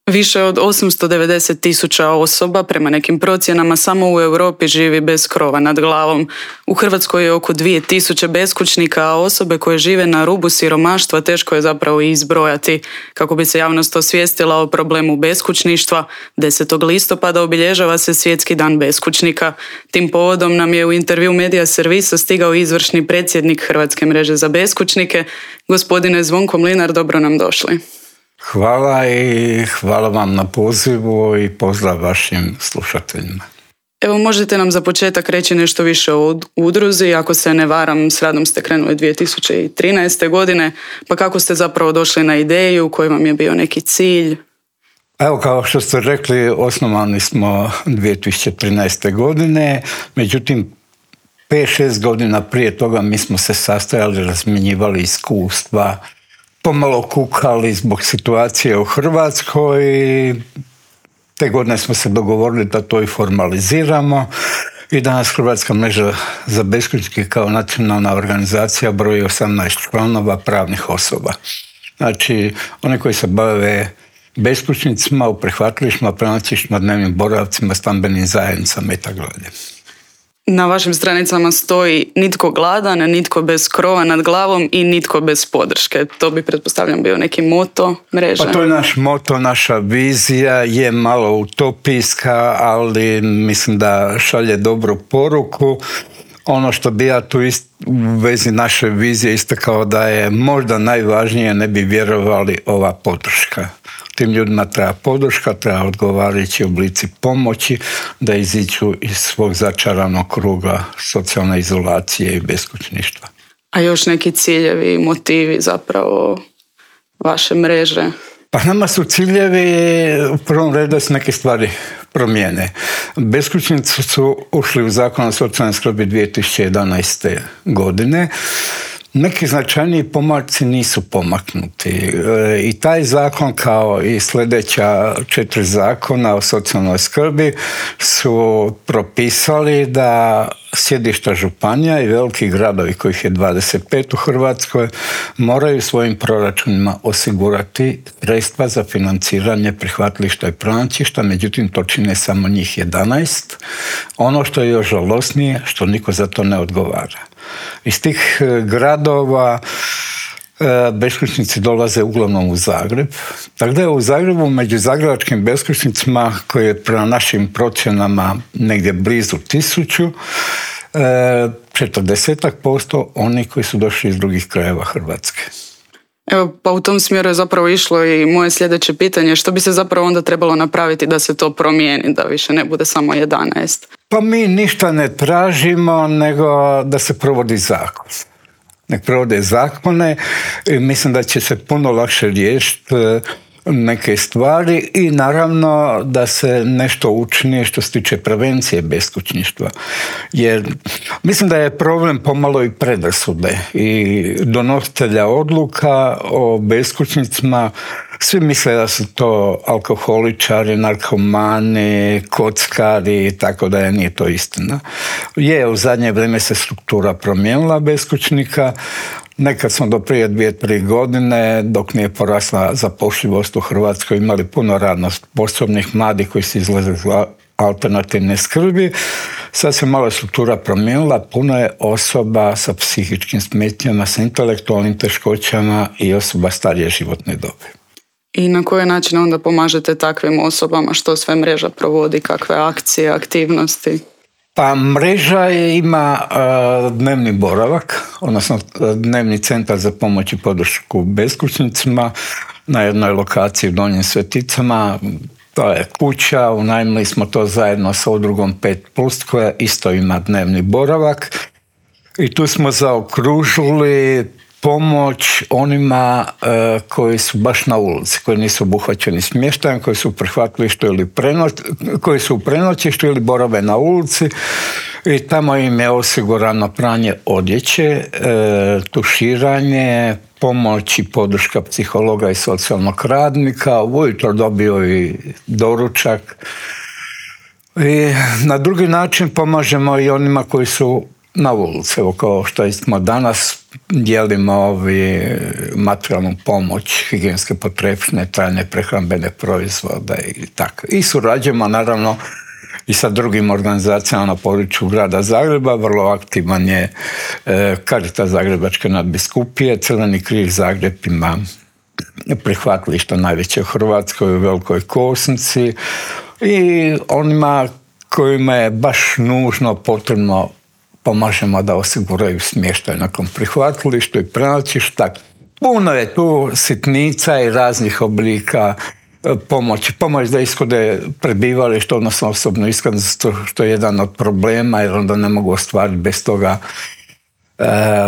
Više od 890.000 osoba, prema nekim procjenama, samo u Europi živi bez krova nad glavom. U Hrvatskoj je oko 2.000 beskućnika, a osobe koje žive na rubu siromaštva teško je zapravo i izbrojati. Kako bi se javnost osvijestila o problemu beskućništva, 10. listopada obilježava se Svjetski dan beskućnika. Tim povodom nam je u intervju Medija Servisa stigao izvršni predsjednik Hrvatske mreže za beskućnike. Gospodine Zvonko Mlinar, dobro nam došli. Hvala i hvala vam na pozivu i pozdrav vašim slušateljima. Evo, možete nam za početak reći nešto više o udruzi? Ako se ne varam, s radom ste krenuli 2013. godine, pa kako ste zapravo došli na ideju, koji vam je bio neki cilj? Evo, kao što ste rekli, osnovani smo 2013. godine, međutim 5-6 godina prije toga mi smo se sastajali, razmjenjivali iskustva, pomalo kukali zbog situacije u Hrvatskoj i te godine smo se dogovorili da to i formaliziramo i danas Hrvatska mreža za beskućnike kao nacionalna organizacija broji 18 članova pravnih osoba. Znači, oni koji se bave beskućnicima u prihvatilištima, prenoćištima, dnevnim boravcima, stambenim zajednicama itd. Na vašim stranicama stoji nitko gladan, nitko bez krova nad glavom i nitko bez podrške. To bi, pretpostavljam, bio neki moto mreže. Pa to je naš moto, naša vizija, je malo utopijska, ali mislim da šalje dobru poruku. Ono što bi ja tu u vezi naše vizije istakao da je možda najvažnije, ne bi vjerovali, ova podrška. Tim ljudima treba podrška, treba odgovarajući oblici pomoći da iziđu iz svog začaranog kruga socijalne izolacije i beskućništva. A još neki ciljevi i motivi zapravo vaše mreže? Pa nama su ciljevi u prvom redu da se neke stvari promijene. Beskućnici su ušli u Zakon o socijalnoj skrbi 2011. godine. Neki značajniji pomaci nisu pomaknuti i taj zakon, kao i sljedeća 4 zakona o socijalnoj skrbi, su propisali da sjedišta županija i veliki gradovi, kojih je 25 u Hrvatskoj, moraju svojim proračunima osigurati sredstva za financiranje prihvatilišta i prenoćišta, međutim to čine samo njih 11. Ono što je još žalosnije, što niko za to ne odgovara. Iz tih gradova beskućnici dolaze uglavnom u Zagreb. Tako da je u Zagrebu među zagrebačkim beskućnicima, koji je prema našim procjenama negdje blizu 1000, 40% oni koji su došli iz drugih krajeva Hrvatske. Evo, pa u tom smjeru je zapravo išlo i moje sljedeće pitanje. Što bi se zapravo onda trebalo napraviti da se to promijeni, da više ne bude samo 11? Pa mi ništa ne tražimo, nego da se provodi zakon. Nek provode zakone i mislim da će se puno lakše riješiti neke stvari i naravno da se nešto učini što se tiče prevencije beskućništva. Jer mislim da je problem pomalo i predrasude i donositelja odluka o beskućnicima. Svi misle da su to alkoholičari, narkomani, kockari, tako da nije to istina. U zadnje vrijeme se struktura promijenila beskućnika. Nekad smo do prije 2-3 godine, dok nije porasla zapošljivost u Hrvatskoj, imali puno radno sposobnih mladih koji su izlazili iz alternativne skrbi. Sad se malo struktura promijenila, puno je osoba sa psihičkim smetnjama, sa intelektualnim teškoćama i osoba starije životne dobi. I na koji način onda pomažete takvim osobama? Što sve mreža provodi? Kakve akcije, aktivnosti? Pa mreža ima dnevni boravak, odnosno dnevni centar za pomoć i podršku beskućnicima na jednoj lokaciji u Donjim Sveticama. To je kuća, unajmili smo to zajedno sa udrugom 5+, koja isto ima dnevni boravak. I tu smo zaokružili pomoć onima koji su baš na ulici, koji nisu obuhvaćeni smještajem, koji su u prihvatilištu ili koji su u prenoćištu ili borave na ulici i tamo im je osigurano pranje odjeće, tuširanje, pomoć i podrška psihologa i socijalnog radnika. Ujutro dobio i doručak. I na drugi način pomažemo i onima koji su na ulici. Evo kao što smo danas dijelimo materijalnu pomoć, higijenske potrepštine, trajne prehrambene proizvode i tako. I surađujemo naravno i sa drugim organizacijama na području grada Zagreba. Vrlo aktivan je Caritas Zagrebačke nadbiskupije, Crveni križ Zagreb ima prihvatilišta najveće u Hrvatskoj, u Velikoj Kosnici, i onima kojima je baš nužno potrebno pomažemo da osiguraju smještaj nakon prihvatilišta i prenoćišta. Puno je tu sitnica i raznih oblika pomoći. Pomoć da ishode prebivalište, odnosno osobnu iskaznicu, što je jedan od problema, jer onda ne mogu ostvariti bez toga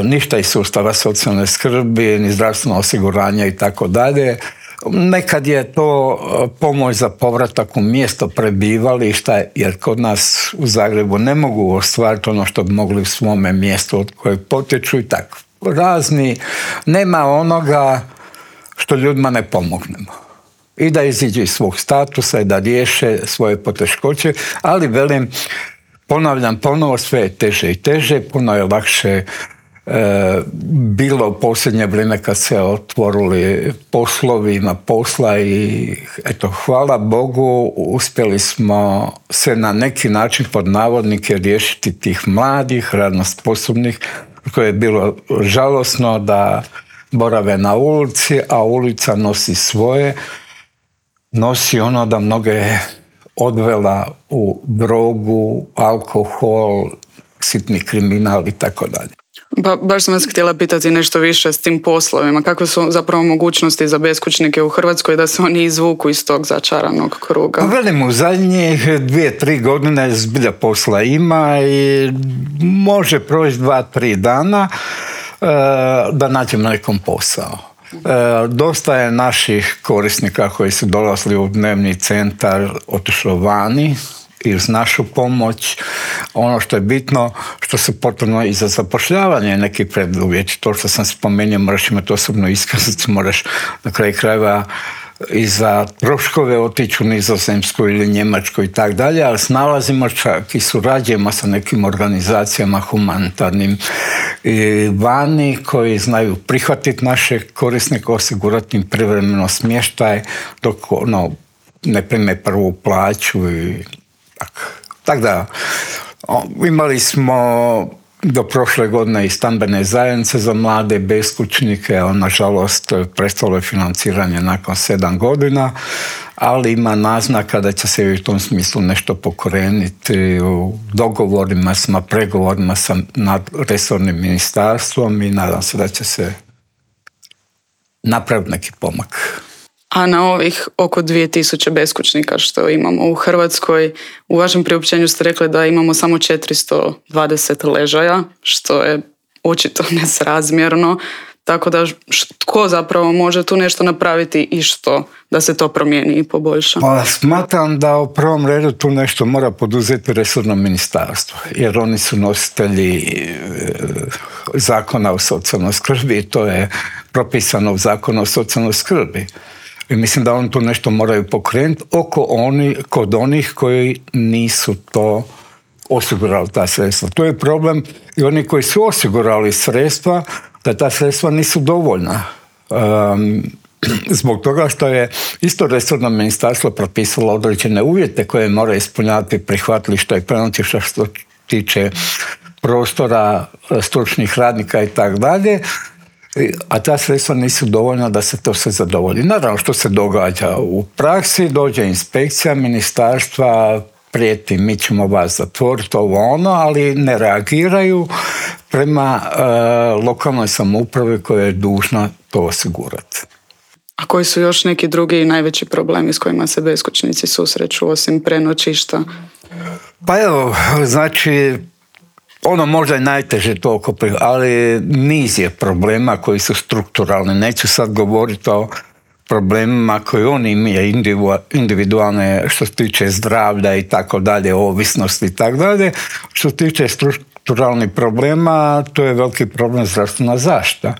ništa iz sustava socijalne skrbi, ni zdravstveno osiguranje i tako dalje. Nekad je to pomoć za povratak u mjesto prebivališta, jer kod nas u Zagrebu ne mogu ostvariti ono što bi mogli u svome mjestu od kojeg potječu i tako. Razni, nema onoga što ljudima ne pomognemo. I da iziđu iz svog statusa i da riješe svoje poteškoće, ali velim, ponavljam ponovo, sve je teže i teže, puno je lakše bilo u posljednje vrijeme kad se otvorili poslovi, ima posla i eto, hvala Bogu, uspjeli smo se na neki način pod navodnike riješiti tih mladih, radno sposobnih, koje je bilo žalosno da borave na ulici, a ulica nosi svoje, nosi ono da mnoge odvela u drogu, alkohol, sitni kriminal i tako dalje. Baš sam vas htjela pitati nešto više s tim poslovima. Kakve su zapravo mogućnosti za beskućnike u Hrvatskoj da se oni izvuku iz tog začaranog kruga? Velim, u zadnjih 2-3 godine zbilja posla ima i može proći 2-3 dana da nađemo nekom posao. Dosta je naših korisnika koji su dolazili u dnevni centar otišlo vani i uz našu pomoć. Ono što je bitno, što se potrebno i za zapošljavanje neki preduvjeti. To što sam spomenuo, moraš imati osobnu iskaznicu, moraš na kraju krajeva i za troškove otići u Nizozemsku ili Njemačku i tak dalje, ali snalazimo čak i surađujemo sa nekim organizacijama humanitarnim i vani koji znaju prihvatiti naše korisnike, osigurati im privremeno smještaj dok ne prime prvu plaću i tako. Tako da, imali smo do prošle godine i stambene zajednice za mlade beskućnike, ali nažalost prestalo je financiranje nakon 7 godina, ali ima naznaka da će se u tom smislu nešto pokrenuti u dogovorima, pregovorima sa resornim ministarstvom i nadam se da će se napraviti neki pomak. A na ovih oko 2000 beskućnika što imamo u Hrvatskoj, u vašem priopćenju ste rekli da imamo samo 420 ležaja, što je očito nesrazmjerno. Tako da tko zapravo može tu nešto napraviti i što da se to promijeni i poboljša? Smatram da u prvom redu tu nešto mora poduzeti resorno ministarstvo, jer oni su nositelji zakona o socijalnoj skrbi i to je propisano u zakonu o socijalnoj skrbi. I mislim da oni tu nešto moraju pokrenuti kod onih koji nisu to osigurali ta sredstva. To je problem i oni koji su osigurali sredstva, da ta sredstva nisu dovoljna. Zbog toga što je isto resorno ministarstvo propisalo određene uvjete koje mora ispunjavati prihvatilišta i prenoćišta što tiče prostora, stručnih radnika i tako dalje, a ta sredstva nisu dovoljna da se to sve zadovolji. Naravno, što se događa u praksi, dođe inspekcija ministarstva, prijeti mi ćemo vas zatvoriti, ali ne reagiraju prema lokalnoj samoupravi koja je dužna to osigurati. A koji su još neki drugi najveći problemi s kojima se beskućnici susreću osim prenoćišta? Pa evo, znači, možda je najteže toliko, ali niz je problema koji su strukturalni. Neću sad govoriti o problemima koje oni imaju individualne što se tiče zdravlja i tako dalje, ovisnosti i tako dalje. Što se tiče strukturalnih problema, to je veliki problem zdravstvena zaštita.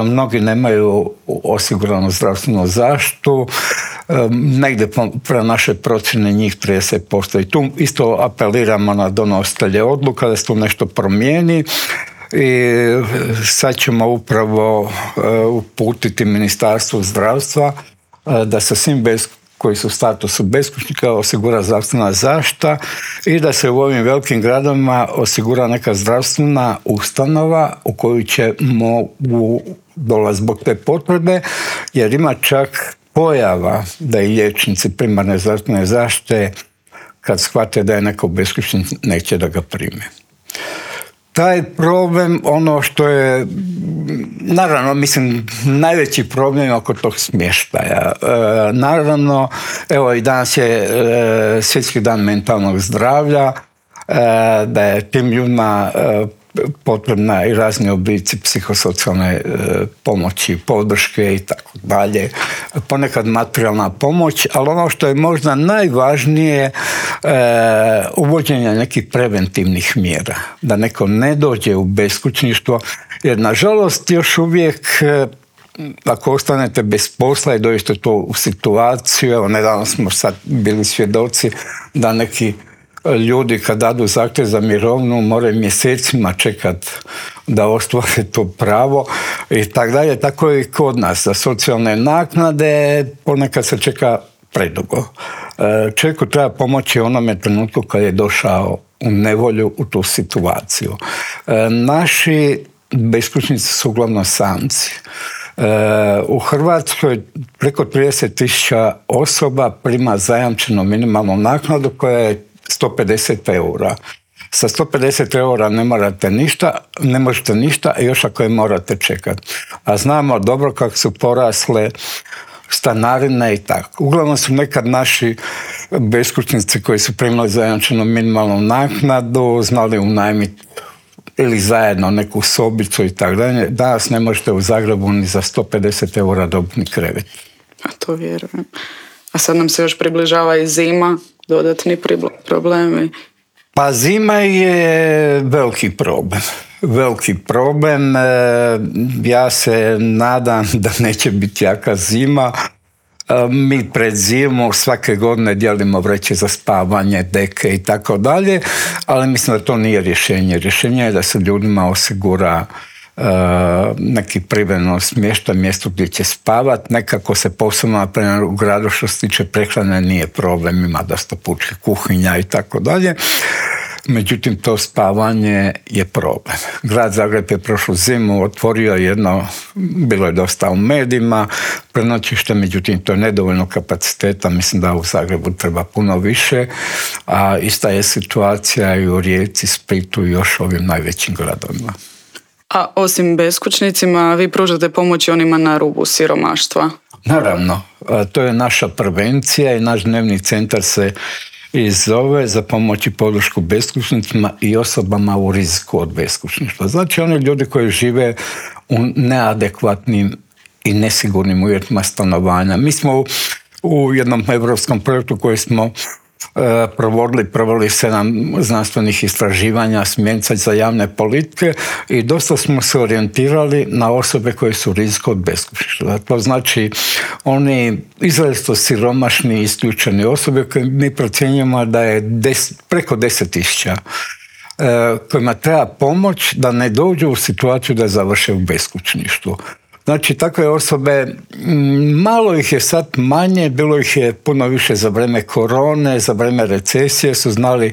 Mnogi nemaju osiguranu zdravstvenu zaštitu. negdje pre naše procjene njih 30%. I tu isto apeliramo na donositelje odluka da se tu nešto promijeni. I sad ćemo upravo uputiti Ministarstvu zdravstva da se svim koji su u statusu beskućnika osigura zdravstvena zaštita i da se u ovim velikim gradovima osigura neka zdravstvena ustanova u koju će mogu dolaziti zbog te potrebe, jer ima čak pojava da i liječnici primarne zdravstvene zaštite kad shvate da je neko beskućnik neće da ga prime. Taj problem, ono što je, naravno, mislim, najveći problem oko tog smještaja. Naravno, evo i danas je Svjetski dan mentalnog zdravlja, da je tim ljudima potrebna i razni oblici psihosocijalne pomoći, podrške i tako dalje. Ponekad materijalna pomoć, ali ono što je možda najvažnije, uvođenje nekih preventivnih mjera. Da neko ne dođe u beskućništvo, jer nažalost još uvijek ako ostanete bez posla i dođete to u situaciju, evo nedavno smo sad bili svjedoci da neki ljudi kad dadu zahtjev za mirovinu moraju mjesecima čekati da ostvare to pravo i tako dalje. Tako je i kod nas. Za socijalne naknade ponekad se čeka predugo. Čovjeku treba pomoći u onome trenutku kad je došao u nevolju u tu situaciju. Naši beskućnici su uglavnom samci. U Hrvatskoj preko 30.000 osoba prima zajamčenu minimalnu naknadu koja je 150 eura. Sa 150 eura ne možete ništa, a još ako je morate čekati. A znamo dobro kako su porasle stanarine i tako. Uglavnom su nekad naši beskućnici koji su primali zajamčenu minimalnu naknadu znali unajmiti ili zajedno neku sobicu i tako dalje. Danas ne možete u Zagrebu ni za 150 eura dobiti ni krevet. A to vjerujem. A sad nam se još približava i zima, dodatni problemi. Pa zima je veliki problem. Veliki problem. Ja se nadam da neće biti jaka zima. Mi pred zimu svake godine dijelimo vreće za spavanje, deke i tako dalje, ali mislim da to nije rješenje. Rješenje je da se ljudima osigura neki privremeno smještaj, mjesto gdje će spavati. Nekako se posebno naprimjer u gradu što se tiče prehrane nije problem, ima dosta pučke kuhinja i tako dalje. Međutim, to spavanje je problem. Grad Zagreb je prošlu zimu otvorio jedno, bilo je dosta u medijima, prenoćište, međutim to je nedovoljno kapaciteta, mislim da u Zagrebu treba puno više, a ista je situacija i u Rijeci, Splitu i još ovim najvećim gradovima. A osim beskućnicima, vi pružate pomoć onima na rubu siromaštva? Naravno, to je naša prevencija i naš dnevni centar se i zove za pomoć i podršku beskućnicima i osobama u riziku od beskućništva. Znači oni ljudi koji žive u neadekvatnim i nesigurnim uvjetima stanovanja. Mi smo u jednom europskom projektu koji smo proveli 7 znanstvenih istraživanja smjernica za javne politike i dosta smo se orijentirali na osobe koje su u riziku od beskućništva. To znači oni izrazito siromašni i isključeni osobe koje mi procjenjujemo da je preko 10.000 kojima treba pomoć da ne dođu u situaciju da završe u beskućništvu. Znači, takve osobe, malo ih je sad manje, bilo ih je puno više za vrijeme korone, za vrijeme recesije, su znali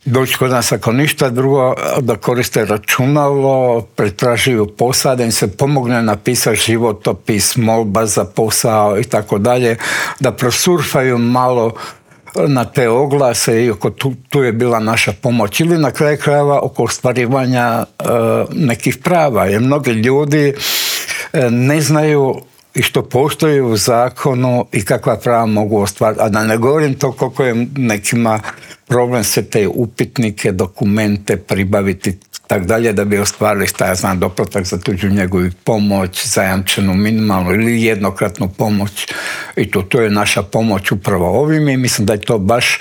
doći kod nas ako ništa drugo, da koriste računalo, pretražuju posao, da im se pomogne napisati životopis, molba za posao i tako dalje, da prosurfaju malo na te oglase i tu je bila naša pomoć. Ili na kraju krajeva oko ostvarivanja nekih prava, jer mnogi ljudi ne znaju i što postoji u zakonu i kakva prava mogu ostvariti. A da ne govorim to koliko je nekima problem sve te upitnike, dokumente pribaviti tak dalje da bi ostvarili doplatak za tuđu njegu i pomoć, zajamčenu minimalnu ili jednokratnu pomoć. I to je naša pomoć upravo ovim i mislim da je to baš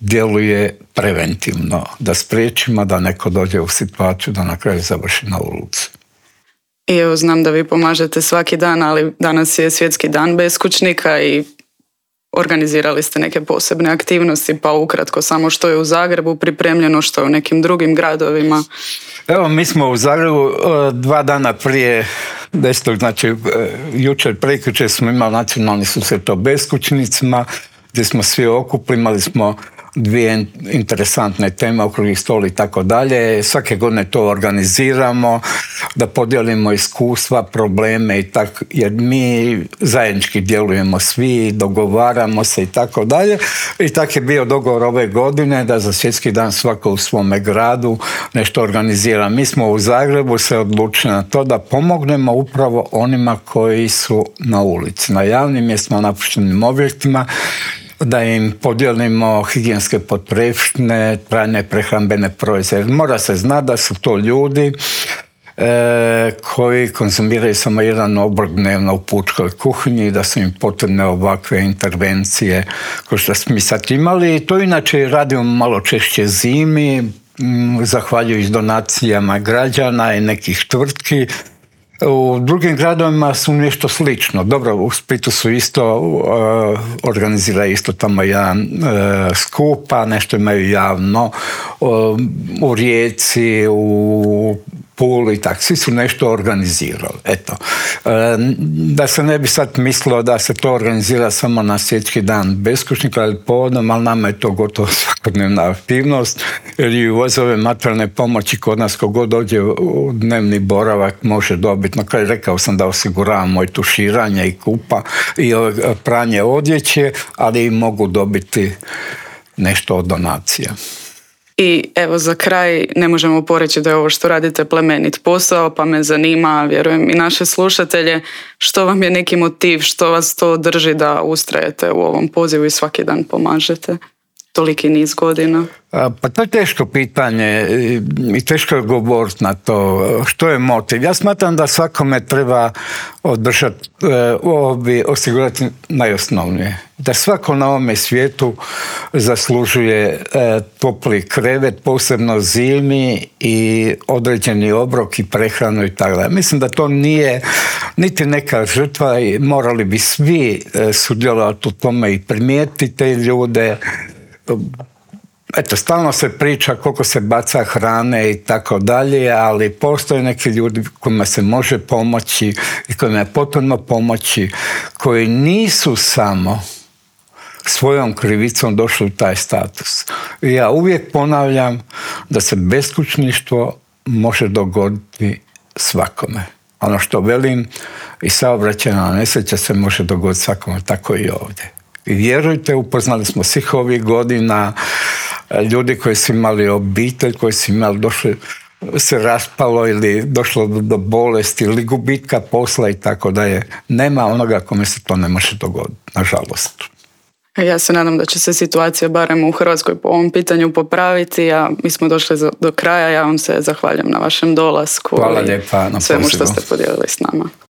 djeluje preventivno, da spriječimo da neko dođe u situaciju da na kraju završi na ulici. I evo, znam da vi pomažete svaki dan, ali danas je Svjetski dan beskućnika i organizirali ste neke posebne aktivnosti, pa ukratko samo što je u Zagrebu pripremljeno, što je u nekim drugim gradovima. Evo, mi smo u Zagrebu 2 dana prije 10. znači jučer, prekjučer smo imali nacionalni susret o beskućnicima, gdje smo svi okupili, imali smo 2 interesantne teme, okrugli stol i tako dalje. Svake godine to organiziramo, da podijelimo iskustva, probleme i tako, jer mi zajednički djelujemo svi, dogovaramo se i tako dalje. I tako je bio dogovor ove godine da za Svjetski dan svako u svome gradu nešto organizira. Mi smo u Zagrebu se odlučili na to da pomognemo upravo onima koji su na ulici, na javnim mjestima, napuštenim objektima, da im podijelimo higijenske potrepštine, trajne prehrambene proizvode. Mora se znati da su to ljudi koji konzumiraju samo jedan obrok dnevno u pučkoj kuhinji, da su im potrebne ovakve intervencije koje što smo mi sad imali. I to inače radimo malo češće zimi, zahvaljujući donacijama građana i nekih tvrtki. U drugim gradovima su nešto slično. Dobro, u Splitu su isto organiziraju isto tamo jedan skup, a nešto imaju javno. U Rijeci, u Puli i tako. Svi su nešto organizirali. Eto. Da se ne bi sad mislilo da se to organizira samo na Svjetski dan beskućnika ili povodom, ali nama je to gotovo svakodnevna aktivnost, jer i uz ove materijalne pomoći kod nas kogod dođe u dnevni boravak može dobiti. Na kraju rekao sam da osiguravamo i tuširanje i kupa i pranje odjeće, ali i mogu dobiti nešto od donacija. I evo za kraj ne možemo poreći da je ovo što radite plemenit posao, pa me zanima, vjerujem i naše slušatelje, što vam je neki motiv, što vas to drži da ustrajete u ovom pozivu i svaki dan pomažete toliki niz godina? Pa to je teško pitanje i teško je govoriti na to. Što je motiv? Ja smatram da svakome treba osigurati najosnovnije. Da svako na ovome svijetu zaslužuje topli krevet, posebno zimi, i određeni obrok i prehranu i tako dalje. Mislim da to nije niti neka žrtva i morali bi svi sudjelovati u tome i primijetiti te ljude. Eto, stalno se priča koliko se baca hrane i tako dalje, ali postoje neki ljudi kojima se može pomoći i kojima je potrebno pomoći, koji nisu samo svojom krivicom došli u taj status. I ja uvijek ponavljam da se beskućništvo može dogoditi svakome. Ono što velim, i saobraćajna nesreća se može dogoditi svakome, tako i ovdje. I vjerujte, upoznali smo svih ovih godina ljudi koji su imali obitelj, koji su imali, došli, se raspalo ili došlo do bolesti ili gubitka posla i tako dalje. Nema onoga kome se to ne može dogoditi, nažalost. Ja se nadam da će se situacija barem u Hrvatskoj po ovom pitanju popraviti, a mi smo došli do kraja. Ja vam se zahvaljujem na vašem dolasku. Hvala lijepa na pozivu. Svemu što ste podijelili s nama.